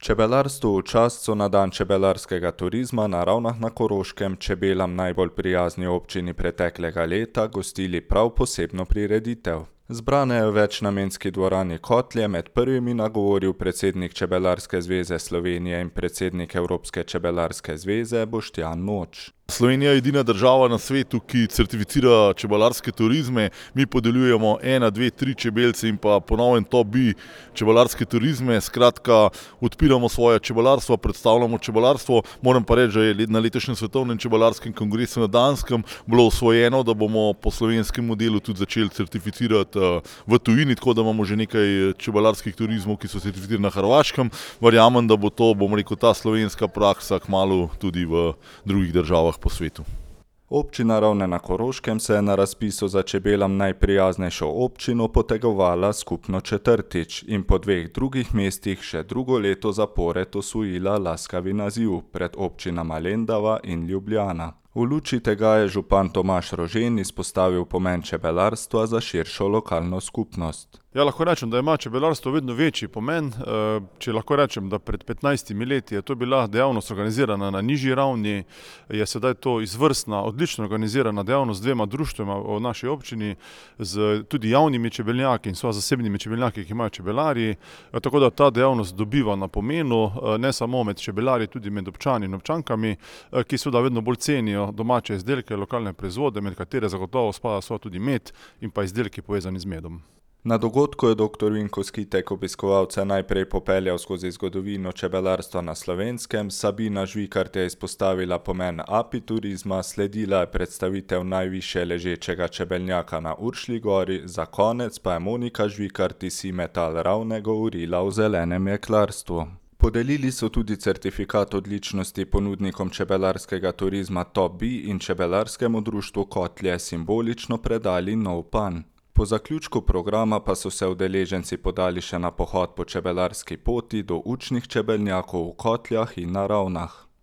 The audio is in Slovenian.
Čebelarstvu v čast so na dan čebelarskega turizma na Ravnah na Koroškem čebelam najbolj prijazni občini preteklega leta gostili prav posebno prireditev. Zbrane je v večnamenski dvorani Kotlje med prvimi nagovoril predsednik Čebelarske zveze Slovenije in predsednik Evropske čebelarske zveze Boštjan Noč. Slovenija je edina država na svetu, ki certificira čebelarske turizme. Mi podeljujemo 1, 2, 3 čebelce in pa po novem top bi čebelarske turizme. Skratka, odpiramo svoje čebelarstvo, predstavljamo čebelarstvo. Moram pa reči, da je na letošnjem svetovnem čebelarskem kongresu na Danskem bilo osvojeno, da bomo po slovenskem modelu tudi začeli certificirati v tujini, tako da imamo že nekaj čebelarskih turizmov, ki so certificirani na Hrvaškem. Verjamem, da bo to, ta slovenska praksa kmalu tudi v drugih državah po svetu. Občina Ravne na Koroškem se je na razpisu za čebelam najprijaznejšo občino potegovala skupno četrtič in po 2 drugih mestih še drugo leto zapored osvojila laskavi naziv pred občinama Lendava in Ljubljana. V luči tega je župan Tomaž Rožen izpostavil pomen čebelarstva za širšo lokalno skupnost. Ja, lahko rečem, da ima čebelarstvo vedno večji pomen. Če lahko rečem, da pred 15 leti je to bila dejavnost organizirana na nižji ravni, je sedaj to izvrstna, odlično organizirana dejavnost z 2 društvima v naši občini, z tudi javnimi čebelnjaki in zasebnimi čebelnjaki, ki imajo čebelarji. Tako da ta dejavnost dobiva na pomenu, ne samo med čebelarji, tudi med občani in občankami, ki seveda vedno bolj cenijo domače izdelke, lokalne proizvode, med katere zagotovo spada tudi med in pa izdelki povezani z medom. Na dogodku je dr. Vinko Skitek obiskovalce najprej popeljal skozi zgodovino čebelarstva na Slovenskem, Sabina Žvikart je izpostavila pomen apiturizma, sledila je predstavitev najvišje ležečega čebelnjaka na Uršlji gori, za konec pa je Monika Žvikart iz Simetal Ravne govorila o zelenem jeklarstvu. Podelili so tudi certifikat odličnosti ponudnikom čebelarskega turizma Top Bee in čebelarskemu društvu Kotlje simbolično predali nov pan. Po zaključku programa pa so se udeleženci podali še na pohod po čebelarski poti do učnih čebelnjakov v Kotljah in na Ravnah.